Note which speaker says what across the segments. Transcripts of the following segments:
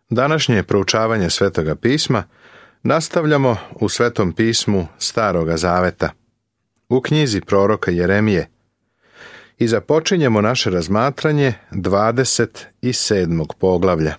Speaker 1: Današnje proučavanje Svetoga pisma nastavljamo u Svetom pismu Staroga Zaveta, u knjizi proroka Jeremije, i započinjemo naše razmatranje 27. poglavlja.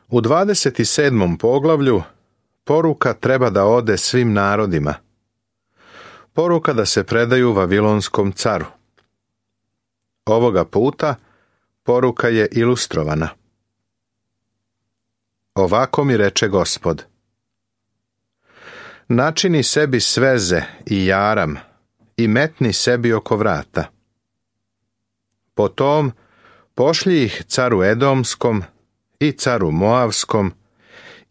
Speaker 1: U 27. poglavlju poruka treba da ode svim narodima. Poruka da se predaju Vavilonskom caru. Ovoga puta poruka je ilustrovana. Ovako mi reče Gospod: načini sebi sveze i jaram i metni sebi oko vrata. Potom pošlji ih caru Edomskom i caru Moavskom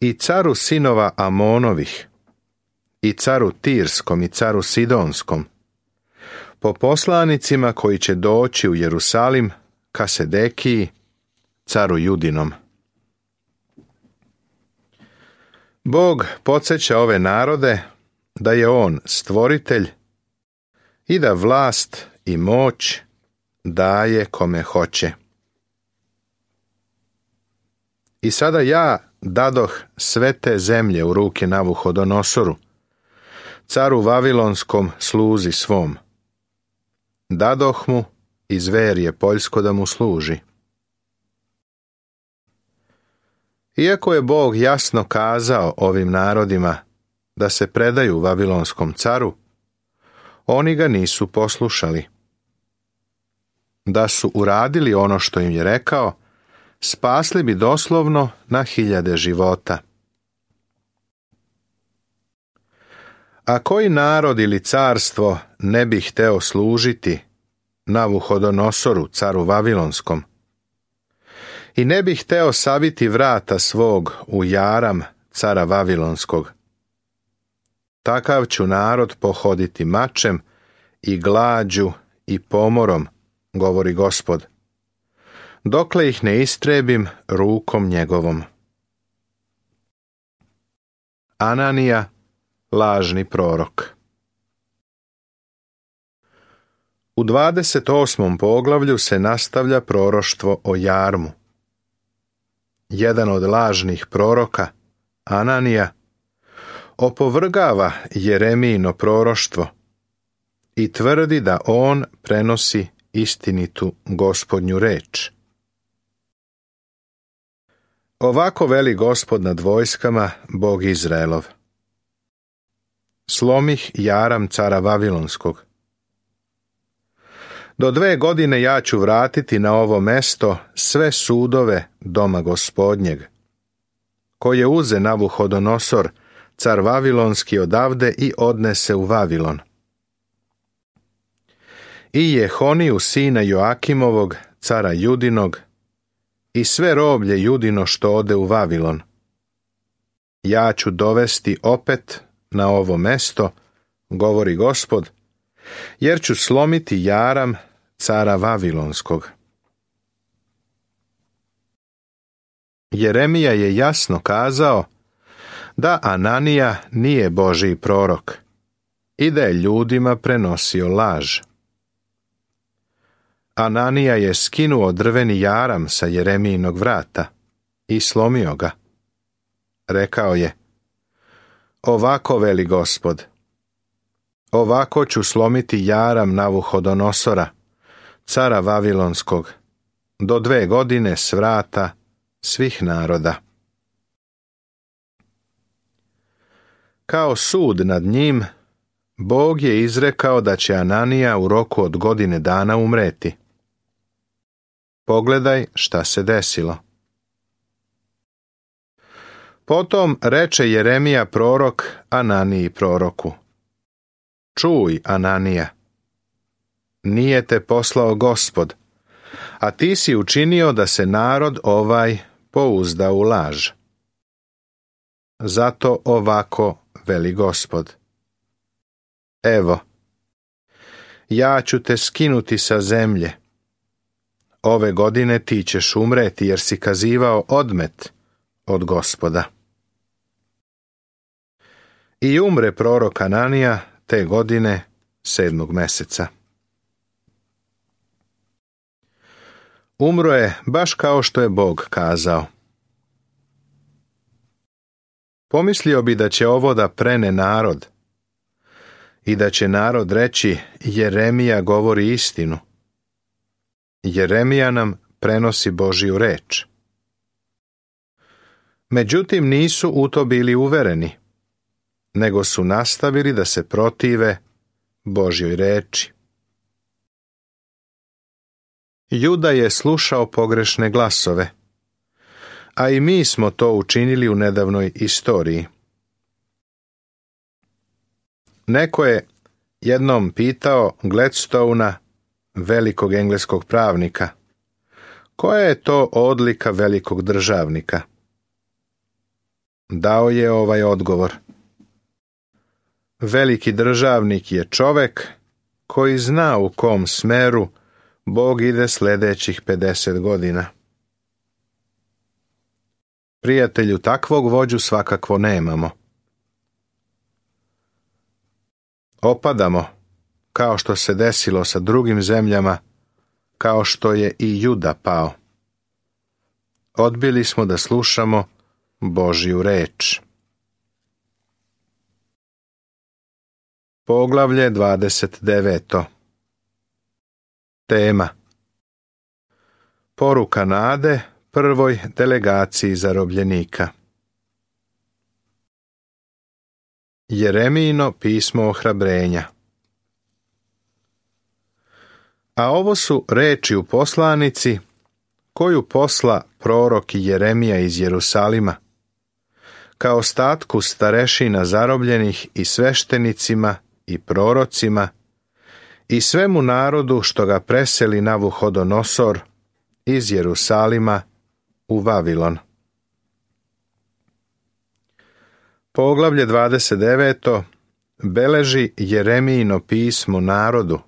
Speaker 1: i caru sinova Amonovih i caru Tirskom i caru Sidonskom, po poslanicima koji će doći u Jerusalim ka Sedekiji, caru Judinom. Bog podsjeća ove narode da je On stvoritelj i da vlast i moć daje kome hoće. I sada ja dadoh sve te zemlje u ruke Navuhodonosoru, caru Vavilonskom sluzi svom. Dadoh mu i zver je poljsko da mu služi. Iako je Bog jasno kazao ovim narodima da se predaju Vavilonskom caru, oni ga nisu poslušali. Da su uradili ono što im je rekao, spasli bi doslovno na 1000 života. A koji narod ili carstvo ne bi hteo služiti Navuhodonosoru, caru Vavilonskom, i ne bi hteo saviti vrata svog u jaram cara Vavilonskog? Takav ću narod pohoditi mačem i glađu i pomorom, govori Gospod, dokle ih ne istrebim rukom njegovom. Ananija, lažni prorok. U 28. poglavlju se nastavlja proroštvo o jarmu. Jedan od lažnih proroka, Ananija, opovrgava Jeremijino proroštvo i tvrdi da on prenosi istinitu Gospodnju reč. Ovako veli Gospod nad vojskama, Bog Izraelov: slomih jaram cara Vavilonskog. Do 2 godine ja ću vratiti na ovo mesto sve sudove doma Gospodnjeg, koje uze Navuhodonosor, car Vavilonski, odavde i odnese u Vavilon. I Jehoniju sina Joakimovog, cara Judinog, i sve roblje Judino što ode u Vavilon. Ja ću dovesti opet na ovo mesto, govori Gospod, jer ću slomiti jaram cara Vavilonskog. Jeremija je jasno kazao da Ananija nije Božji prorok i da je ljudima prenosio laž. Ananija je skinuo drveni jaram sa Jeremijinog vrata i slomio ga. Rekao je: ovako veli Gospod, ovako ću slomiti jaram Navuhodonosora, cara Vavilonskog, do 2 godine s vrata svih naroda. Kao sud nad njim, Bog je izrekao da će Ananija u roku od 1 godine umreti. Pogledaj šta se desilo. Potom reče Jeremija prorok Ananiji proroku: čuj, Ananija, nije te poslao Gospod, a ti si učinio da se narod ovaj pouzda u laž. Zato ovako veli Gospod: evo, ja ću te skinuti sa zemlje. Ove godine ti ćeš umreti, jer si kazivao odmet od Gospoda. I umre prorok Ananija te godine 7. meseca. umro je baš kao što je Bog kazao. Pomislio bi da će ovo da prene narod i da će narod reći: Jeremija govori istinu. Jeremija nam prenosi Božju reč. Međutim, nisu u to bili uvereni, nego su nastavili da se protive Božjoj reči. Juda je slušao pogrešne glasove, a i mi smo to učinili u nedavnoj istoriji. Neko je jednom pitao Gladstona, velikog engleskog pravnika, koja je to odlika velikog državnika? Dao je ovaj odgovor: veliki državnik je čovek koji zna u kom smeru Bog ide sljedećih 50 godina. Prijatelju, takvog vođu svakako nemamo. Opadamo, kao što se desilo sa drugim zemljama, kao što je i Juda pao. Odbili smo da slušamo Božju reč. Poglavlje 29. Tema: poruka nade prvoj delegaciji zarobljenika. Jeremijino pismo ohrabrenja. A ovo su reči u poslanici koju posla prorok Jeremija iz Jerusalima, ka ostatku starešina zarobljenih i sveštenicima i prorocima i svemu narodu što ga preseli Navuhodonosor iz Jerusalima u Vavilon. Poglavlje 29. beleži Jeremijino pismo narodu,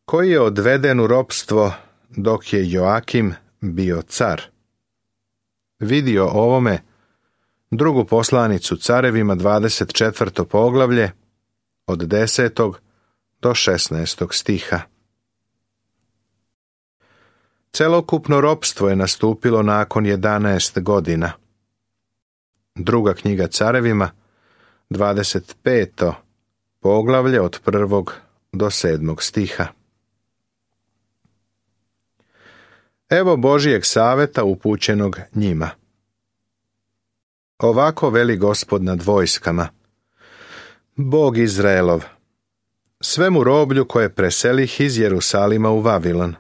Speaker 1: koji je odveden u ropstvo dok je Joakim bio car. Vidi o ovome drugu poslanicu carevima 24. poglavlje od 10. do 16. stiha. Celokupno ropstvo je nastupilo nakon 11 godina. Druga knjiga carevima, 25. poglavlje od 1. do 7. stiha. Evo Božijeg saveta upućenog njima. Ovako veli Gospod nad vojskama, Bog Izraelov, svemu roblju koje preselih iz Jerusalima u Vavilon.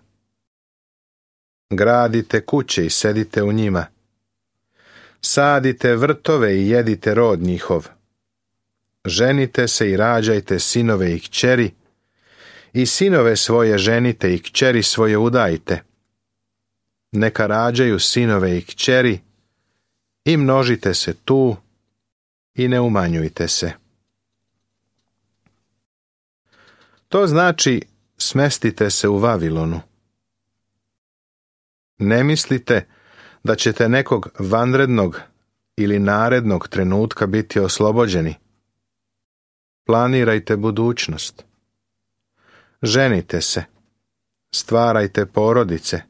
Speaker 1: Gradite kuće i sedite u njima. Sadite vrtove i jedite rod njihov. Ženite se i rađajte sinove i kćeri, i sinove svoje ženite i kćeri svoje udajte. Neka rađaju sinove i kćeri, i množite se tu i ne umanjujte se. To znači smestite se u Vavilonu. Ne mislite da ćete nekog vanrednog ili narednog trenutka biti oslobođeni. Planirajte budućnost. Ženite se, stvarajte porodice,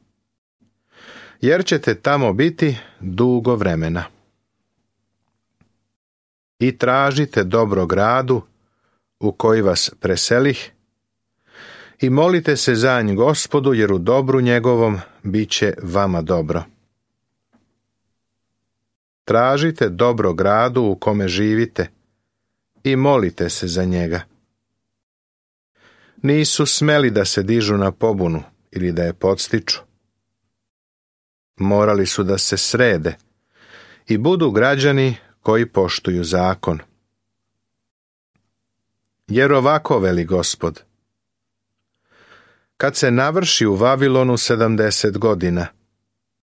Speaker 1: jer ćete tamo biti dugo vremena. I tražite dobro gradu u koji vas preselih i molite se za nj Gospodu, jer u dobru njegovom bit će vama dobro. Tražite dobro gradu u kome živite i molite se za njega. Nisu smeli da se dižu na pobunu ili da je podstiču. Morali su da se srede i budu građani koji poštuju zakon. Jer ovako veli Gospod: kad se navrši u Vavilonu 70 godina,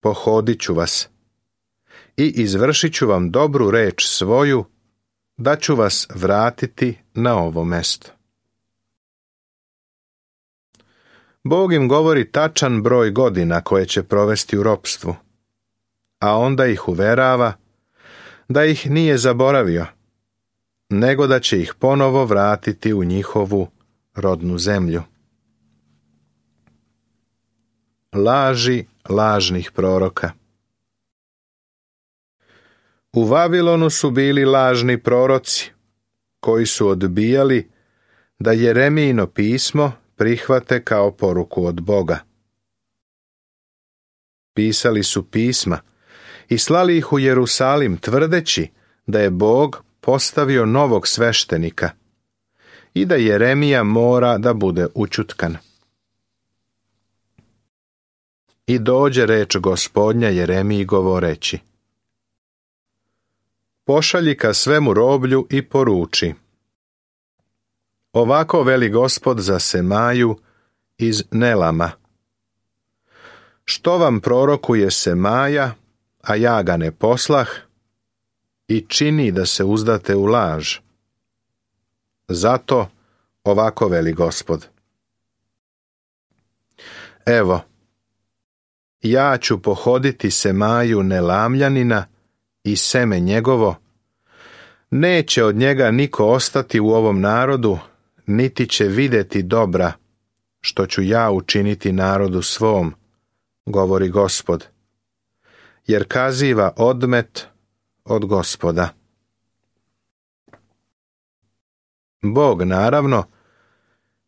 Speaker 1: pohodit ću vas i izvršit ću vam dobru reč svoju, da ću vas vratiti na ovo mesto. Bog im govori tačan broj godina koje će provesti u ropstvu, a onda ih uverava da ih nije zaboravio, nego da će ih ponovo vratiti u njihovu rodnu zemlju. laži lažnih proroka. U Vavilonu su bili lažni proroci, koji su odbijali da Jeremijino pismo prihvate kao poruku od Boga. Pisali su pisma i slali ih u Jerusalim tvrdeći da je Bog postavio novog sveštenika i da Jeremija mora da bude ućutkan. I dođe reč Gospodnja Jeremiji govoreći: Pošalji ka svemu roblju i poruči: Ovako veli Gospod za Semaju iz Nelama. Što vam prorokuje Semaja, a ja ga ne poslah, i čini da se uzdate u laž? Zato ovako veli Gospod: Evo, ja ću pohoditi Semaju Nelamljanina i seme njegovo, neće od njega niko ostati u ovom narodu, niti će vidjeti dobra, što ću ja učiniti narodu svom, govori Gospod, jer kaziva odmet od Gospoda. Bog, naravno,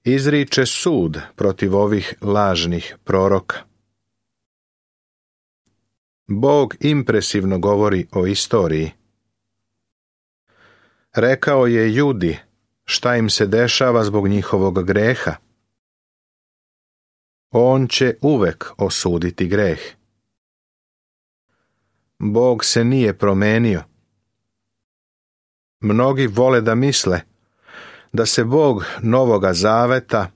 Speaker 1: izriče sud protiv ovih lažnih proroka. Bog impresivno govori o istoriji. Rekao je Judi šta im se dešava zbog njihovog greha. On će uvek osuditi greh. Bog se nije promenio. Mnogi vole da misle da se Bog Novoga Zaveta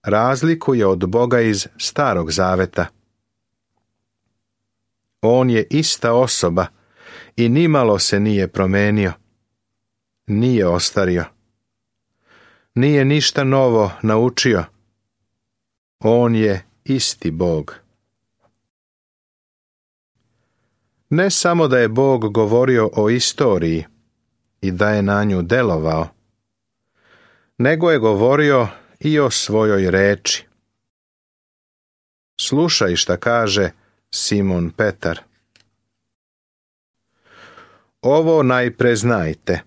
Speaker 1: razlikuje od Boga iz Starog Zaveta. On je ista osoba i nimalo se nije promenio. Nije ostario. Nije ništa novo naučio. On je isti Bog. Ne samo da je Bog govorio o istoriji i da je na nju delovao, nego je govorio i o svojoj reči. Slušaj šta kaže Simon Petar. Ovo najpre znajte,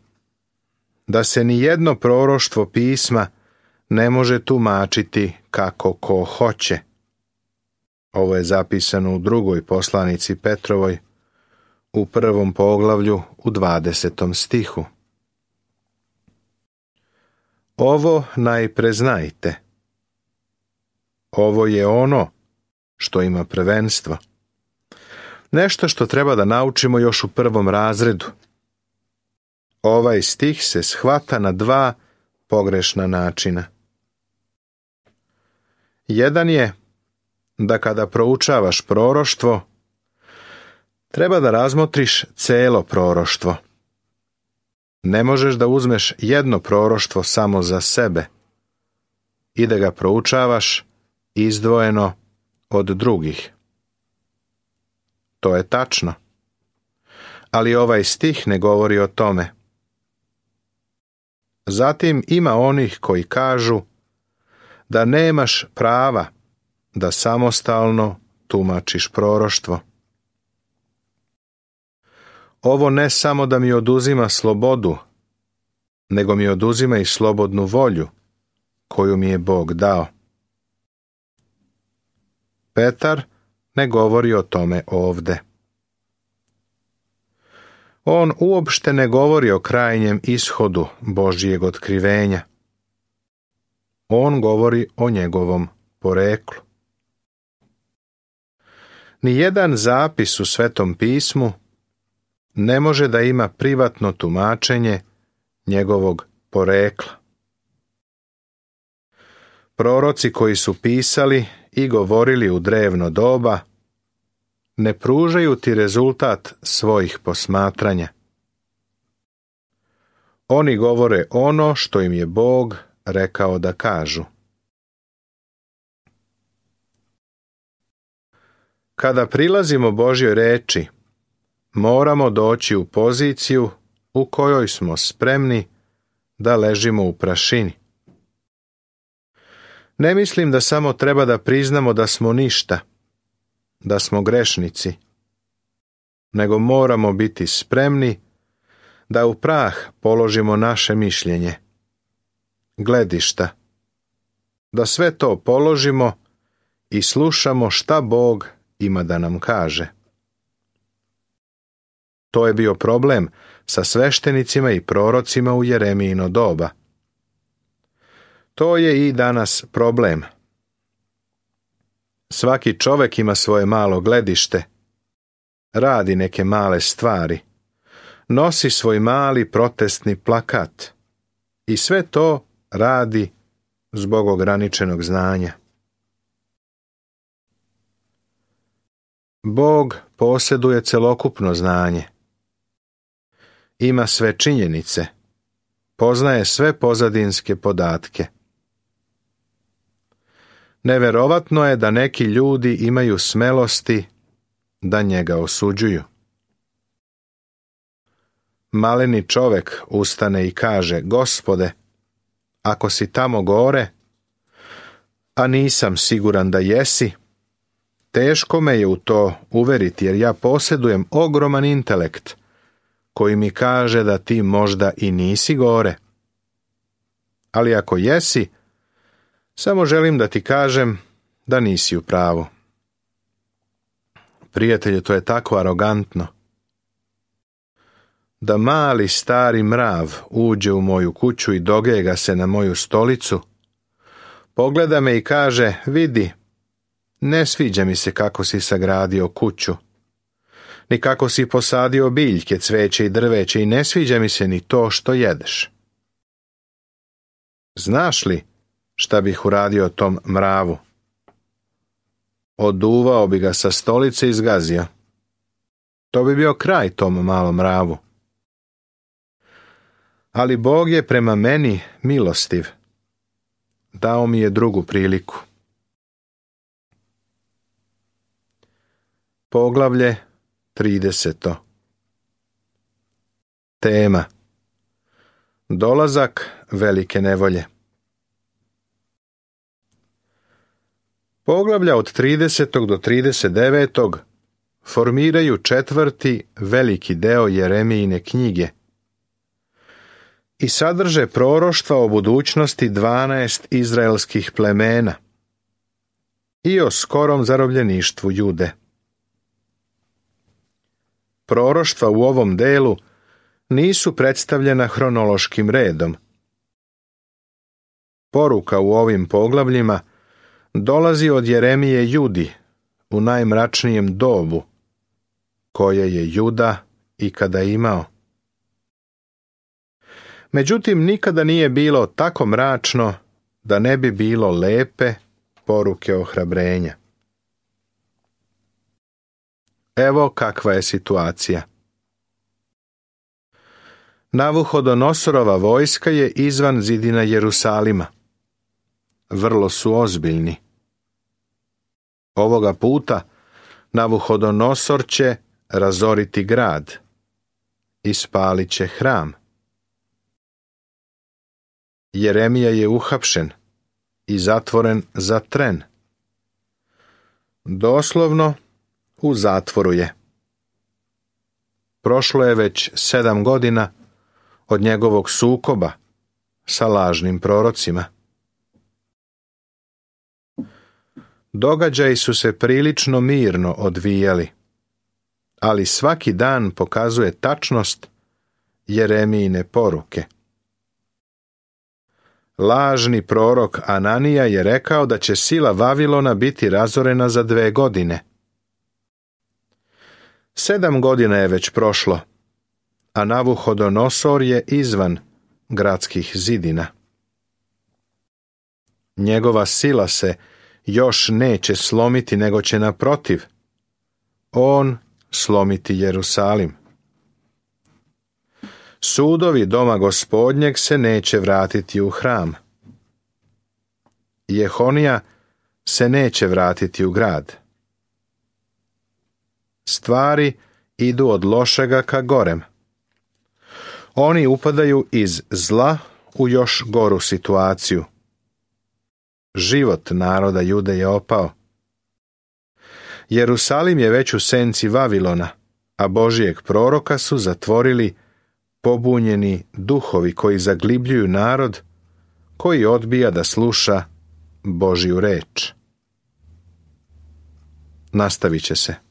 Speaker 1: da se ni jedno proroštvo pisma ne može tumačiti kako ko hoće. Ovo je zapisano u 2. poslanici Petrovoj, u 1. poglavlju, u 20. stihu. Ovo najpre znajte. Ovo je ono što ima prvenstvo. Nešto što treba da naučimo još u 1. razredu. Ovaj stih se shvata na 2 pogrešna načina. Jedan je da kada proučavaš proroštvo, treba da razmotriš celo proroštvo. Ne možeš da uzmeš jedno proroštvo samo za sebe i da ga proučavaš izdvojeno od drugih. To je tačno, ali ovaj stih ne govori o tome. Zatim ima onih koji kažu da nemaš prava da samostalno tumačiš proroštvo. Ovo ne samo da mi oduzima slobodu, nego mi oduzima i slobodnu volju koju mi je Bog dao. Petar ne govori o tome ovde. On uopšte ne govori o krajnjem ishodu Božjeg otkrivenja. On govori o njegovom poreklu. Nijedan zapis u Svetom pismu ne može da ima privatno tumačenje njegovog porekla. Proroci koji su pisali i govorili u drevno doba ne pružaju ti rezultat svojih posmatranja. Oni govore ono što im je Bog rekao da kažu. Kada prilazimo Božjoj reči, moramo doći u poziciju u kojoj smo spremni da ležimo u prašini. Ne mislim da samo treba da priznamo da smo ništa da smo grešnici, nego moramo biti spremni da u prah položimo naše mišljenje, gledišta, da sve to položimo i slušamo šta Bog ima da nam kaže. To je bio problem sa sveštenicima i prorocima u Jeremijino doba. To je i danas problem. Svaki čovjek ima svoje malo gledište, radi neke male stvari, nosi svoj mali protestni plakat i sve to radi zbog ograničenog znanja. Bog posjeduje celokupno znanje. Ima sve činjenice, poznaje sve pozadinske podatke. Neverovatno je da neki ljudi imaju smelosti da njega osuđuju. Maleni čovjek ustane i kaže: Gospode, ako si tamo gore, a nisam siguran da jesi, teško me je u to uveriti, jer ja posjedujem ogroman intelekt koji mi kaže da ti možda i nisi gore. Ali ako jesi, samo želim da ti kažem da nisi u pravu. Prijatelju, to je tako arogantno. Da mali stari mrav uđe u moju kuću i dogega se na moju stolicu, pogleda me i kaže: vidi, ne sviđa mi se kako si sagradio kuću, ni kako si posadio biljke, cveće i drveće, i ne sviđa mi se ni to što jedeš. Znaš li šta bih uradio tom mravu? Oduvao bi ga sa stolice i zgazio. To bi bio kraj tom malom mravu. Ali Bog je prema meni milostiv. Dao mi je drugu priliku. Poglavlje 30. Tema: dolazak velike nevolje. Poglavlja od 30. do 39. formiraju četvrti veliki deo Jeremijine knjige i sadrže proroštva o budućnosti 12 izraelskih plemena i o skorom zarobljeništvu Jude. Proroštva u ovom delu nisu predstavljena hronološkim redom. Poruka u ovim poglavljima dolazi od Jeremije Judi u najmračnijem dobu koje je Juda ikada imao. Međutim, nikada nije bilo tako mračno da ne bi bilo lepe poruke ohrabrenja. Evo kakva je situacija. Navuhodonosorova vojska je izvan zidina Jerusalima. Vrlo su ozbiljni. Ovoga puta Navuhodonosor će razoriti grad i spalit će hram. Jeremija je uhapšen i zatvoren za tren. Doslovno u zatvoru je. Prošlo je već 7 godina od njegovog sukoba sa lažnim prorocima. Događaji su se prilično mirno odvijali, ali svaki dan pokazuje tačnost Jeremijine poruke. Lažni prorok Ananija je rekao da će sila Vavilona biti razorena za 2 godine. 7 godina je već prošlo, a Navuhodonosor je izvan gradskih zidina. Njegova sila se još neće slomiti, nego će naprotiv on slomiti Jerusalim. Sudovi doma Gospodnjeg se neće vratiti u hram. Jehonija se neće vratiti u grad. Stvari idu od lošega ka gorem. Oni upadaju iz zla u još goru situaciju. Život naroda Jude je opao. Jerusalim je već u senci Vavilona, a Božijeg proroka su zatvorili pobunjeni duhovi koji zaglibljuju narod, koji odbija da sluša Božju reč. Nastavit će se.